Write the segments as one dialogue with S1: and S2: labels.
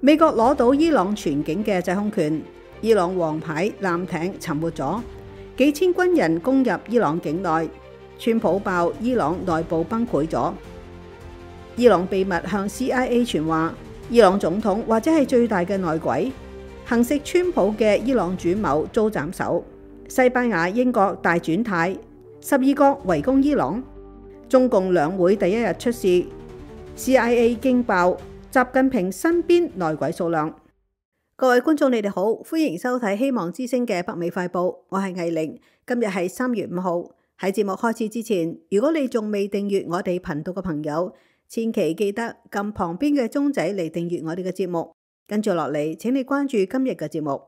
S1: 美國攞到伊朗全境嘅制空權，伊朗王牌艦艇沉沒咗，幾千軍人攻入伊朗境內，川普爆伊朗內部崩潰咗。伊朗秘密向 CIA 傳話，伊朗總統或者係最大嘅內鬼，行刺川普嘅伊朗主謀遭斬首。西班牙、英國大轉態，12國圍攻伊朗。中共兩會第一日出事 ，CIA 驚爆習近平身邊內鬼數量。各位觀眾，你哋好，歡迎收睇希望之聲嘅北美快報，我係藝玲。今日係3月5號。喺節目開始之前，如果你仲未訂閱我哋頻道嘅朋友，千祈記得撳旁邊嘅鐘仔嚟訂閱我哋嘅節目。跟住落嚟，請你關注今日嘅節目。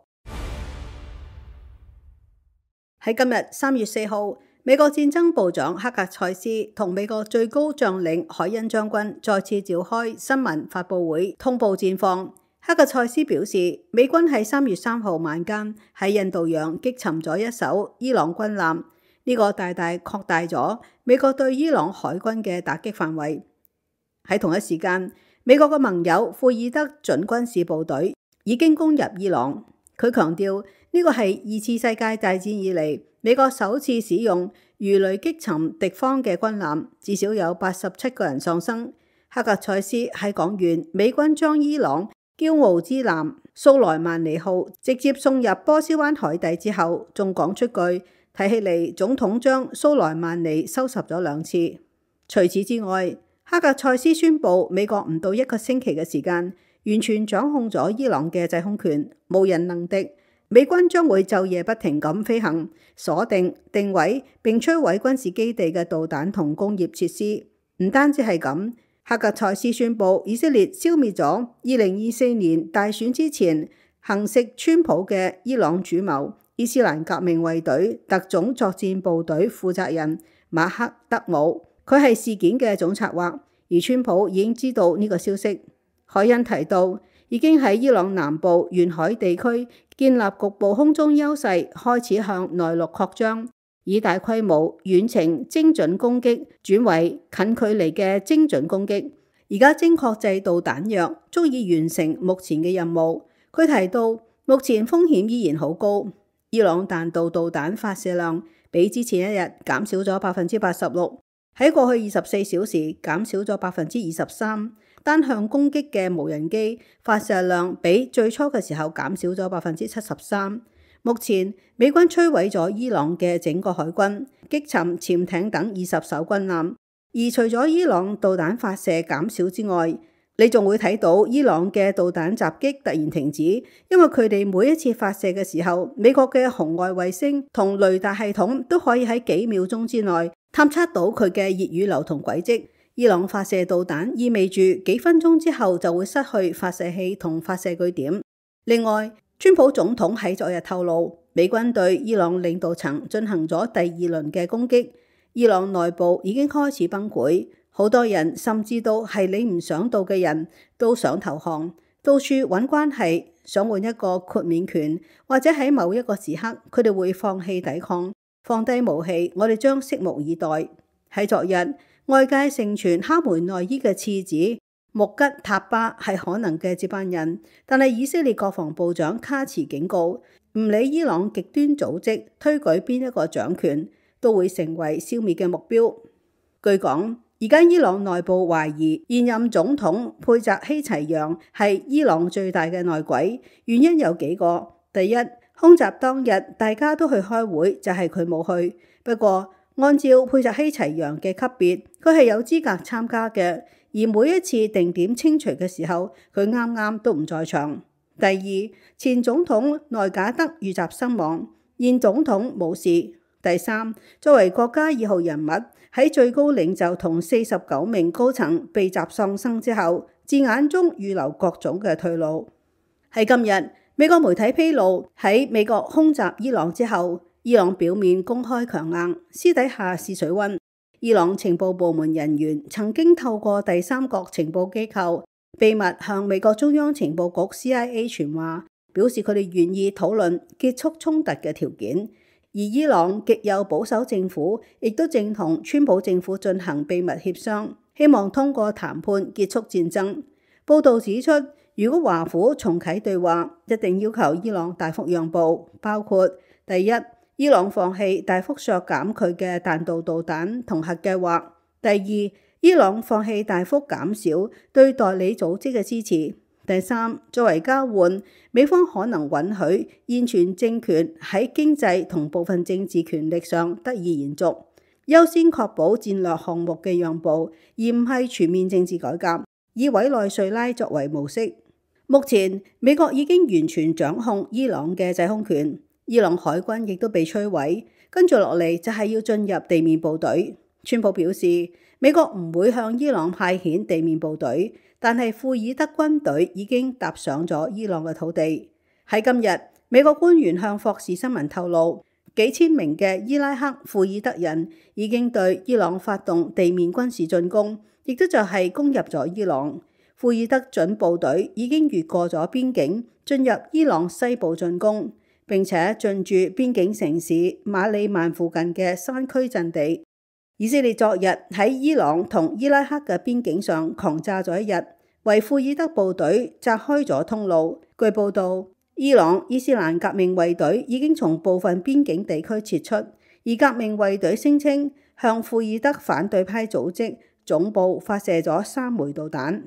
S1: 喺今日3月4號，美國戰爭部長克格塞斯同美國最高將領海恩將軍再次召開新聞發佈會，通報戰況。克格塞斯表示，美軍喺3月3號晚間喺印度洋擊沉咗一艘伊朗軍艦，呢個大大擴大咗美國對伊朗海軍嘅打擊範圍。喺同一時間，美國嘅盟友庫爾德準軍事部隊已經攻入伊朗。佢強調，呢個係2次世界大戰以嚟美國首次使用魚雷擊沉敵方嘅軍艦，至少有87個人喪生。克格塞斯喺講完美軍將伊朗驕傲之艦蘇萊曼尼號直接送入波斯灣海底之後，仲講出句睇起嚟總統將蘇萊曼尼收拾咗2次。除此之外，克格塞斯宣布美國唔到1個星期嘅時間完全掌控咗伊朗嘅制空權，無人能敵。美軍將會晝夜不停咁飛行、鎖定、定位並摧毀軍事基地嘅導彈同工業設施。唔單止係咁，克格塞斯宣布以色列消滅咗2024年大選之前行刺川普嘅伊朗主謀伊斯蘭革命衛隊特種作戰部隊負責人馬克德姆，佢係事件嘅總策劃，而川普已經知道呢個消息。海恩提到，已經喺伊朗南部沿海地區建立局部空中優勢，開始向內陸擴張，以大規模遠程精準攻擊轉為近距離嘅精準攻擊。而家精確制導彈藥足以完成目前嘅任務。佢提到，目前風險依然好高，伊朗彈道導彈發射量比之前一日減少咗86%，喺過去24小時減少咗23%。單向攻擊嘅無人機發射量比最初嘅時候減少咗73%。目前美軍摧毀咗伊朗嘅整個海軍，擊沉潛艇等20艘軍艦。而除咗伊朗導彈發射減少之外，你仲會睇到伊朗嘅導彈襲擊突然停止，因為佢哋每一次發射嘅時候，美國嘅紅外衛星同雷達系統都可以喺幾秒鐘之內探測到佢嘅熱語流同軌跡。伊朗發射導彈意味住幾分鐘之後就會失去發射器同發射據點。另外，川普總統喺昨日透露，美軍對伊朗領導層進行咗第2輪嘅攻擊，伊朗內部已經開始崩潰，好多人甚至到係你唔想到嘅人都想投降，到處揾關係，想換一個豁免權，或者喺某一個時刻佢哋會放棄抵抗，放低武器。我哋將拭目以待。喺昨日，外界盛傳哈梅內伊嘅次子穆吉塔巴係可能嘅接班人，但係以色列國防部長卡茨警告，唔理伊朗極端組織推舉邊一個掌權，都會成為消滅嘅目標。據講，而家伊朗內部懷疑現任總統佩澤希齊揚係伊朗最大嘅內鬼，原因有幾個。第一，空襲當日大家都去開會，就係佢冇去。不過按照佩澤希齊揚嘅級別，佢係有資格參加嘅，而每一次定點清除嘅時候，佢啱啱都唔在場。第二，前總統內賈德遇襲身亡，現總統冇事。第三，作為國家2號人物，喺最高領袖同49名高層被襲喪生之後，字眼中預留各種嘅退路。喺今日，美國媒體披露，喺美國空襲伊朗之後，伊朗表面公開強硬，私底下試水溫。伊朗情報部門人員曾經透過第三國情報機構秘密向美國中央情報局 CIA 傳話，表示佢哋願意討論結束衝突嘅條件。而伊朗極右保守政府亦都正同川普政府進行秘密協商，希望通過談判結束戰爭。報道指出，如果華府重啟對話，一定要求伊朗大幅讓步，包括第一，伊朗放棄大幅削減佢嘅彈道導彈同核計劃；第二，伊朗放棄大幅減少對代理組織嘅支持；第三，作為交換，美方可能允許現存政權喺經濟同部分政治權力上得以延續，優先確保戰略項目嘅讓步，而唔係全面政治改革，以委內瑞拉作為模式。目前，美國已經完全掌控伊朗嘅制空權，伊朗海軍亦都被摧毀，跟住落嚟就係要進入地面部隊。川普表示，美國唔會向伊朗派遣地面部隊，但係庫爾德軍隊已經踏上咗伊朗嘅土地。喺今日，美國官員向霍士新聞透露，幾千名嘅伊拉克庫爾德人已經對伊朗發動地面軍事進攻，亦都就係攻入咗伊朗。庫爾德準部隊已經越過咗邊境，進入伊朗西部進攻，並且進駐邊境城市馬里曼附近嘅山區陣地。以色列昨日喺伊朗同伊拉克嘅邊境上狂炸咗一日，為庫爾德部隊炸開咗通路。據報道，伊朗伊斯蘭革命衛隊已經從部分邊境地區撤出，而革命衛隊聲稱向庫爾德反對派組織總部發射咗3枚導彈。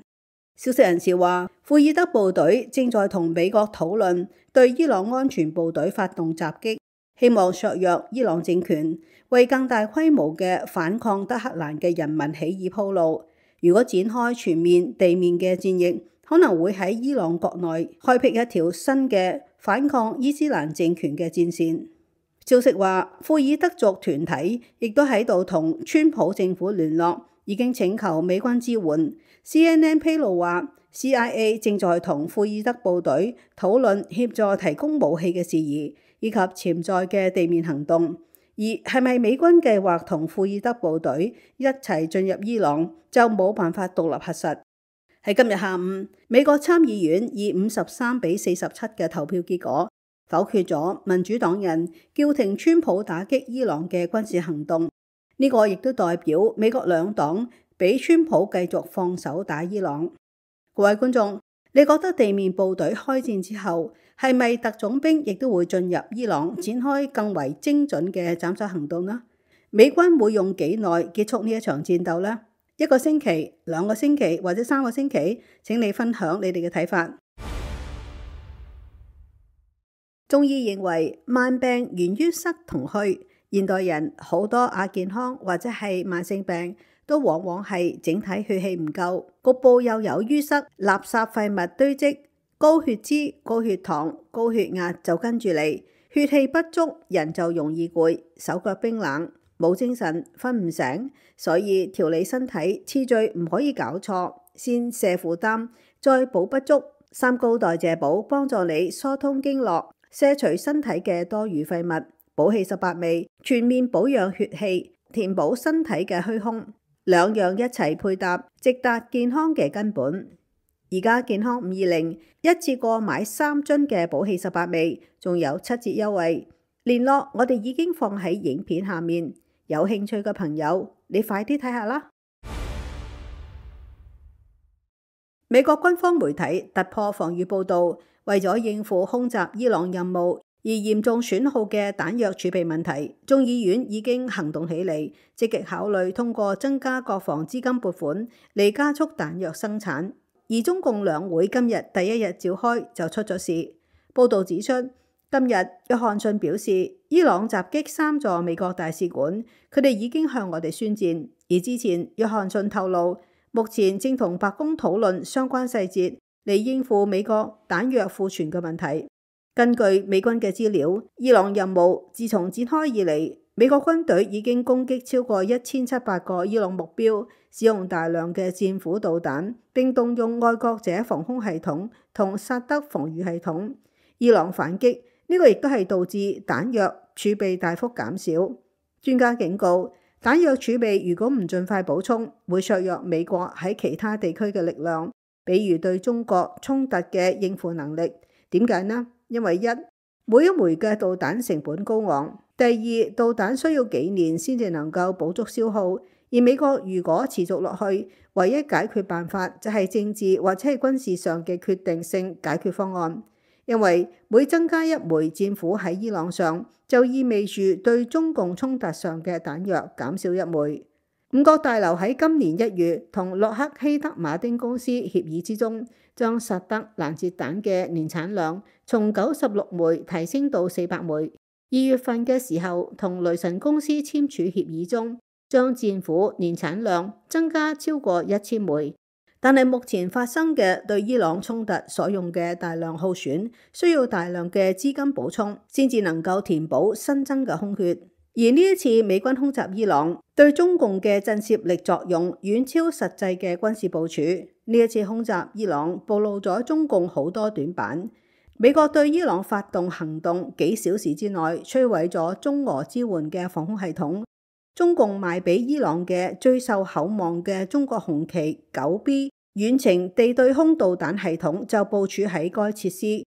S1: 消息人士話，庫爾德部隊正在同美國討論對伊朗安全部隊發動襲擊，希望削弱伊朗政權，為更大規模嘅反抗德黑蘭嘅人民起義鋪路。如果展開全面地面嘅戰役，可能會喺伊朗國內開闢一條新嘅反抗伊斯蘭政權嘅戰線。消息話，庫爾德族團體亦都喺度同川普政府聯絡，已經請求美軍支援。CNN 披露話，CIA 正在同庫爾德部隊討論協助提供武器嘅事宜，以及潛在嘅地面行動。而係咪美軍計劃同庫爾德部隊一齊進入伊朗，就冇辦法獨立核實。喺今日下午，美國參議院以53-47嘅投票結果否決咗民主黨人叫停川普打擊伊朗嘅軍事行動。呢個亦都代表美國兩黨俾川普繼續放手打伊朗。各位觀眾，你覺得地面部隊開戰之後，係咪特種兵亦都會進入伊朗展開更為精準嘅斬首行動呢？美軍會用幾耐結束呢一場戰鬥呢？1個星期、2個星期或者3個星期？請你分享你哋嘅睇法。中醫認為慢病源於塞同虛，現代人好多亞健康或者係慢性病，都往往係整體血氣唔夠，局部又有淤塞、垃圾廢物堆積、高血脂、高血糖、高血壓就跟住嚟，血氣不足，人就容易攰、手腳冰冷、冇精神、瞓唔醒。所以調理身體次序唔可以搞錯，先瀉負擔，再補不足。三高代謝補幫助你疏通經絡，卸除身體嘅多餘廢物，補氣18味，全面保養血氣，填補身體嘅虛空。兩樣一齊配搭，直達健康嘅根本。而家健康520一次過買3樽嘅補氣18味，仲有7折優惠。聯絡我哋已經放喺影片下面，有興趣嘅朋友，你快啲睇下啦。美國軍方媒體突破防禦報導，為咗應付空襲伊朗任務而嚴重損耗嘅彈藥儲備問題，眾議院已經行動起嚟，積極考慮通過增加國防資金撥款嚟加速彈藥生產。而中共兩會今日第一日召開就出咗事。報導指出，今日約翰遜表示，伊朗襲擊3座美國大使館，佢哋已經向我哋宣戰。而之前約翰遜透露，目前正同白宮討論相關細節嚟應付美國彈藥庫存嘅問題。根據美軍嘅資料，伊朗任務自從展開以嚟，美國軍隊已經攻擊超過1700個伊朗目標，使用大量嘅戰斧導彈，並動用愛國者防空系統同薩德防禦系統。伊朗反擊呢個亦都係導致彈藥儲備大幅減少。專家警告，彈藥儲備如果唔盡快補充，會削弱美國喺其他地區嘅力量，比如對中國衝突嘅應付能力。點解呢？因為每一枚嘅導彈成本高昂；第二，導彈需要幾年先至能夠補足消耗；而美國如果持續落去，唯一解決辦法就係政治或者係軍事上嘅決定性解決方案，因為每增加一枚戰斧喺伊朗上，就意味住對中共衝突上嘅彈藥減少一枚。五角大樓喺今年1月同洛克希德馬丁公司協議之中，將薩德攔截彈嘅年產量從96枚提升到400枚。2月份嘅時候，同雷神公司簽署協議中，將戰斧年產量增加超過1000枚。但係目前發生嘅對伊朗衝突所用嘅大量耗損，需要大量嘅資金補充，先至能夠填補新增嘅空缺。而呢一次美軍空襲伊朗，對中共嘅震懾力作用遠超實際嘅軍事部署。呢一次空襲伊朗，暴露咗中共好多短板。美國對伊朗發動行動，幾小時之內摧毀咗中俄支援嘅防空系統。中共賣俾伊朗嘅最受厚望嘅中國紅旗 9B 遠程地對空導彈系統就部署喺該設施，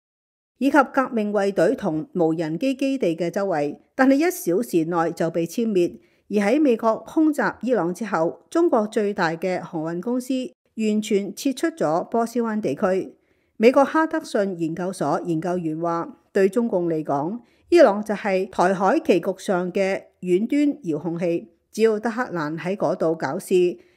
S1: 以及革命衛隊同無人機基地嘅周圍，但係1小時內就被殲滅。而喺美國空襲伊朗之後，中國最大嘅航運公司完全撤出咗波斯灣地區。美國哈德遜研究所研究員話，對中共嚟講，伊朗就係台海棋局上嘅遠端遙控器，只要德黑蘭喺嗰度搞事，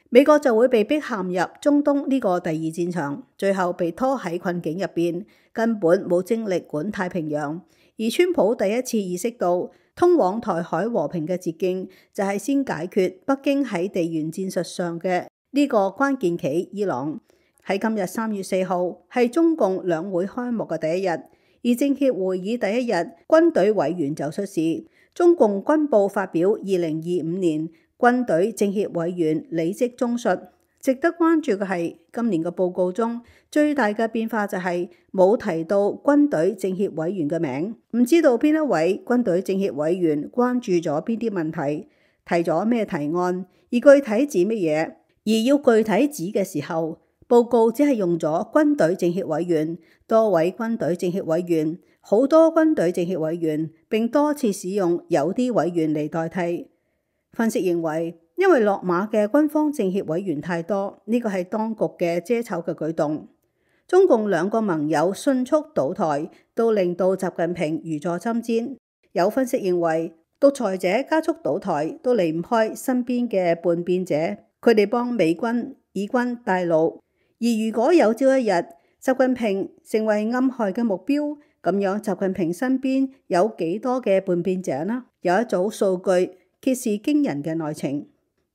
S1: 美國就會被逼陷入中東呢個第2戰場，最後被拖喺困境入邊，根本冇精力管太平洋。而川普第一次意識到，通往台海和平嘅捷徑就係先解決北京喺地緣戰術上嘅呢個關鍵棋伊朗。喺今日3月4號係中共兩會開幕嘅第一日，而政協會議第一日，軍隊委員就出事。中共軍報發表2025年軍隊政協委員履職綜述。值得關注嘅係，今年嘅報告中最大嘅變化就係冇提到軍隊政協委員嘅名，唔知道邊一位軍隊政協委員關注咗邊啲問題，提咗咩提案，而具體指乜嘢。而要具體指嘅時候，報告只係用咗軍隊政協委員、多位軍隊政協委員、好多軍隊政協委員，並多次使用有啲委員嚟代替。分析認為，因為落馬嘅軍方政協委員太多，呢個係當局嘅遮醜嘅舉動。中共2個盟友迅速倒台，都令到習近平如坐針氈。有分析認為，獨裁者加速倒台都離唔開身邊嘅叛變者，佢哋幫美軍、以軍帶路。而如果有朝一日習近平成為暗害嘅目標，咁樣習近平身邊有幾多嘅叛變者呢？有一組數據揭示驚人嘅內情。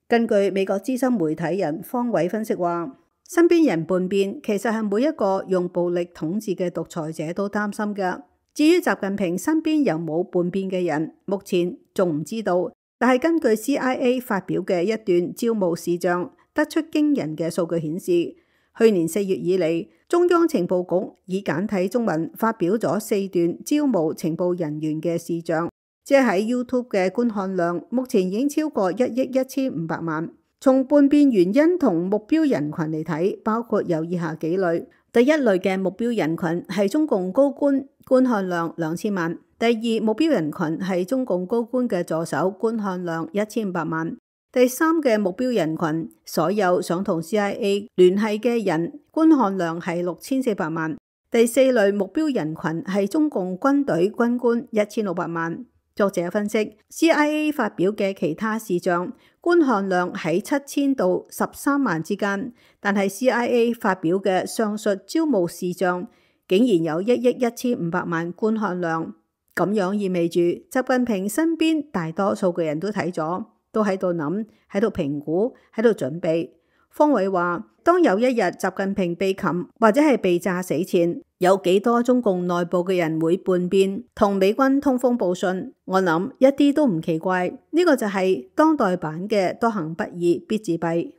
S1: 根據美國資深媒體人方偉分析話，身邊人叛變其實係每一個用暴力統治嘅獨裁者都擔心嘅。至於習近平身邊有冇叛變嘅人，目前仲唔知道。但係根據 CIA 發表嘅一段招募視像，得出驚人嘅數據顯示，去年4月以嚟，中央情報局以簡體中文發表咗4段招募情報人員嘅視像，即係喺 YouTube 嘅觀看量目前已經超過1億1500萬。從叛變原因同目標人群嚟睇，包括有以下幾類。第一類嘅目標人群係中共高官，觀看量2000萬。第二目標人群係中共高官嘅助手，觀看量1500萬。第三嘅目標人群，所有想同 CIA 聯繫嘅人，觀看量係6400萬。第四類目標人群係中共軍隊軍官1600萬。作者分析 ，CIA 發表嘅其他視像觀看量喺7000到13萬之間，但係 CIA 發表嘅上述招募視像竟然有1億1500萬觀看量，咁樣意味住習近平身邊大多數嘅人都睇咗。都喺度諗，喺度評估，喺度準備。方偉話，當有一日習近平被擒或者係被炸死前，有幾多中共內部嘅人會叛變，同美軍通風報信？我諗一啲都唔奇怪，呢個就係當代版嘅多行不義必自斃。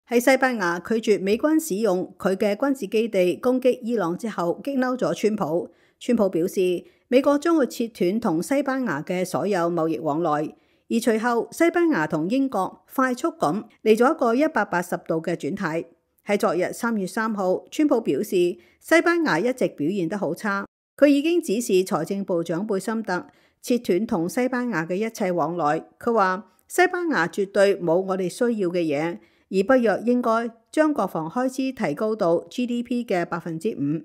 S1: 喺西班牙拒絕美軍使用佢嘅軍事基地攻擊伊朗之後，激嬲咗川普。川普表示，美國將會切斷同西班牙嘅所有貿易往來，而隨後西班牙同英國快速咁嚟咗一個180度嘅轉態。喺昨日3月3號，川普表示西班牙一直表現得好差，佢已經指示財政部長貝森特切斷同西班牙嘅一切往來。佢話西班牙絕對冇我哋需要嘅嘢，而北約應該將國防開支提高到 GDP 嘅5%。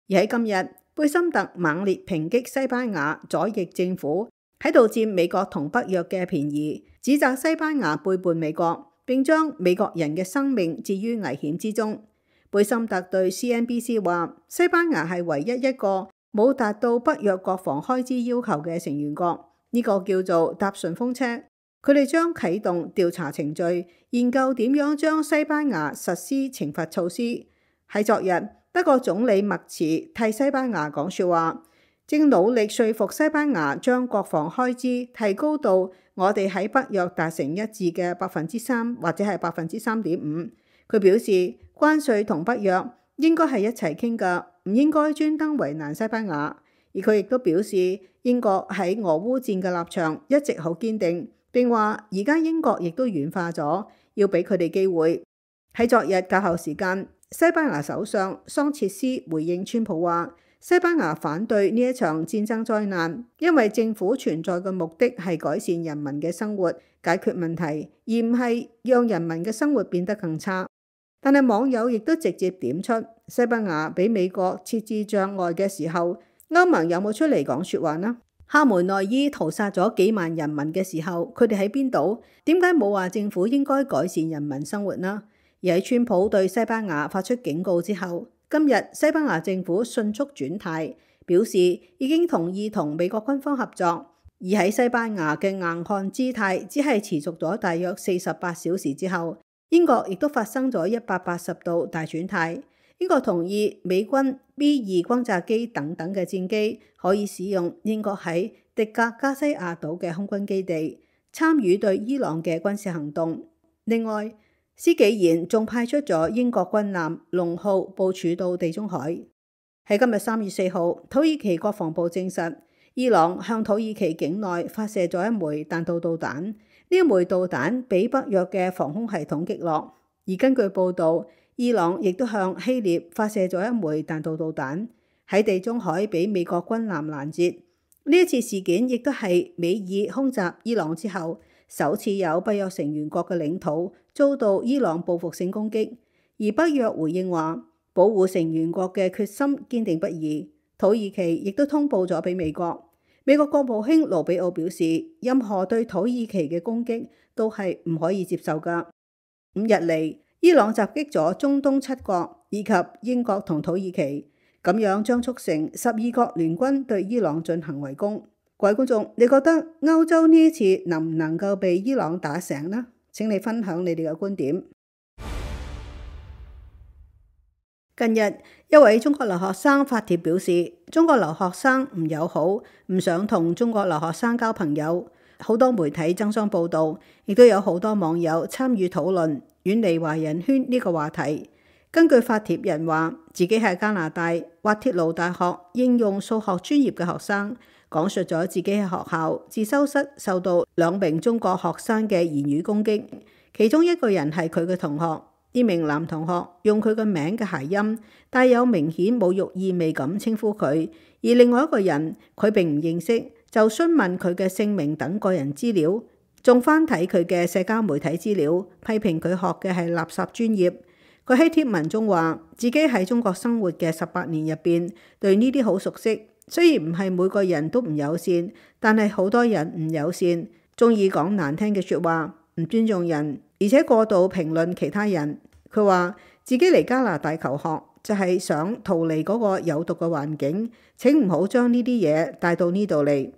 S1: 而喺今日，貝森特猛烈抨擊西班牙左翼政府喺度佔美國同北約嘅便宜，指責西班牙背叛美國，並將美國人嘅生命置於危險之中。貝森特對 CNBC 話，西班牙係唯一一個冇達到北約國防開支要求嘅成員國，呢個叫做搭順風車。佢哋將啟動調查程序，研究點樣將西班牙實施懲罰措施。喺昨日，德國總理默茨替西班牙講說話，正努力說服西班牙將國防開支提高到我哋喺北約達成一致嘅3%或者係3.5%。佢表示，關稅同北約應該係一齊傾㗎，唔應該專登為難西班牙。而佢亦都表示，英國喺俄烏戰嘅立場一直好堅定，並話而家英國亦都軟化咗，要俾佢哋機會。喺昨日較後時間，西班牙首相桑切斯回應川普話，西班牙反對呢一場戰爭災難，因為政府存在嘅目的係改善人民嘅生活，解決問題，而唔係讓人民嘅生活變得更差。但係網友亦都直接點出，西班牙俾美國設置障礙嘅時候，歐盟有冇出嚟講說話呢？哈梅內伊屠殺咗幾萬人民嘅時候，佢哋喺邊度？點解冇話政府應該改善人民生活呢？而喺川普對西班牙發出警告之後，今日西班牙政府迅速轉態，表示已經同意同美國軍方合作。而喺西班牙嘅硬漢姿態只係持續咗大約48小時之後，英國亦都發生咗180度大轉態。英國同意美軍 B2 轟炸機等等嘅戰機可以使用英國喺迪格加西亞島嘅空軍基地，參與對伊朗嘅軍事行動。另外，施紀賢仲派出咗英國軍艦龍號部署到地中海。喺今日3月4號，土耳其國防部證實，伊朗向土耳其境內發射咗一枚彈道導彈，呢一枚導彈被北約嘅防空系統擊落。而根據報導，伊朗亦都向希臘發射咗一枚彈道導彈，喺地中海被美國軍艦攔截。呢一次事件亦都係美以空襲伊朗之後，首次有北約成員國嘅領土遭到伊朗報復性攻擊。而北約回應話，保護成員國嘅決心堅定不移。土耳其亦都通報咗俾美國。美國國務卿盧比奧表示，任何對土耳其嘅攻擊都係唔可以接受㗎。5日嚟，伊朗襲擊咗中東7國以及英國同土耳其，咁樣將促成12國聯軍對伊朗進行圍攻。各位觀眾，你覺得歐洲呢一次能唔能夠被伊朗打醒呢？請你分享你哋嘅觀點。近日，一位中國留學生發帖表示，中國留學生唔友好，唔想同中國留學生交朋友。好多媒體爭相報導，亦都有好多網友參與討論，遠離華人圈呢個話題。根據發帖人話，自己係加拿大滑鐵盧大學應用數學專業嘅學生，講述咗自己喺學校自修室受到2名中國學生嘅言語攻擊，其中一個人係佢嘅同學。呢名男同學用佢嘅名嘅諧音，帶有明顯侮辱意味咁稱呼佢，而另外一個人佢並唔認識，就詢問佢嘅姓名等個人資料，仲翻睇佢嘅社交媒體資料，批評佢學嘅係垃圾專業。佢喺貼文中話，自己喺中國生活嘅18年入邊，對呢啲好熟悉。雖然唔係每個人都唔友善，但係好多人唔友善，中意講難聽嘅説話，唔尊重人，而且過度評論其他人。佢話自己嚟加拿大求學就係想逃離嗰個有毒嘅環境，請唔好將呢啲嘢帶到呢度嚟。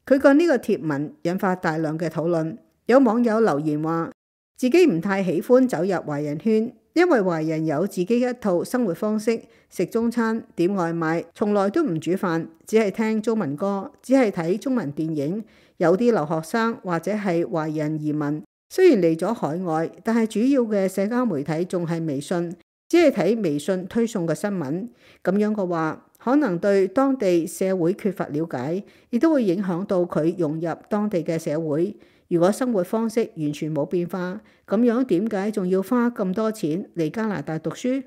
S1: 佢嘅呢個貼文引發大量嘅討論，有網友留言話自己唔太喜歡走入華人圈，因為華人有自己一套生活方式，食中餐、點外賣，從來都唔煮飯，只係聽中文歌，只係睇中文電影。有啲留學生或者係華人移民，雖然嚟咗海外，但係主要嘅社交媒體仲係微信，只係睇微信推送嘅新聞。咁樣嘅話，可能對當地社會缺乏了解，亦都會影響到佢融入當地嘅社會。如果生活方式完全冇變化，咁樣點解仲要花咁多錢嚟加拿大讀書？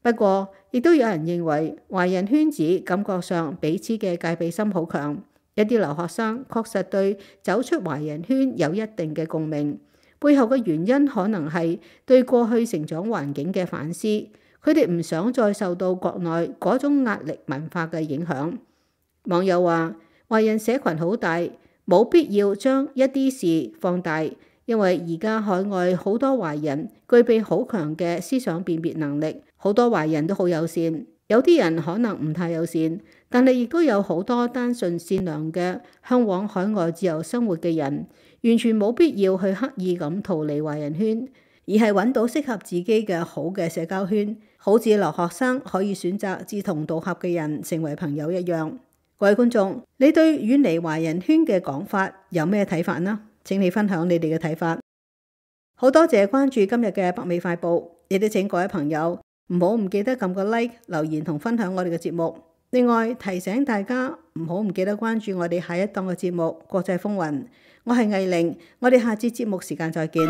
S1: 不過，亦都有人認為華人圈子感覺上彼此嘅戒備心好強，一啲留學生確實對走出華人圈有一定嘅共鳴，背後嘅原因可能係對過去成長環境嘅反思，佢哋唔想再受到國內嗰種壓力文化嘅影響。網友話：華人社群好大，冇必要將一啲事放大，因為而家海外好多華人具備好強嘅思想辨別能力，好多華人都好友善。有啲人可能唔太友善，但係亦都有好多單純善良嘅向往海外自由生活嘅人，完全冇必要去刻意咁逃離華人圈，而係揾到適合自己嘅好嘅社交圈，好似留學生可以選擇志同道合嘅人成為朋友一樣。各位觀眾，你對遠離華人圈嘅講法有咩睇法呢？請你分享你哋嘅睇法。好多謝關注今日嘅北美快報，亦都請各位朋友唔記得撳個 like、留言同分享我哋嘅節目。另外提醒大家唔記得關注我哋下一檔嘅節目《國際風雲》。我係藝玲，我哋下次節目時間再見。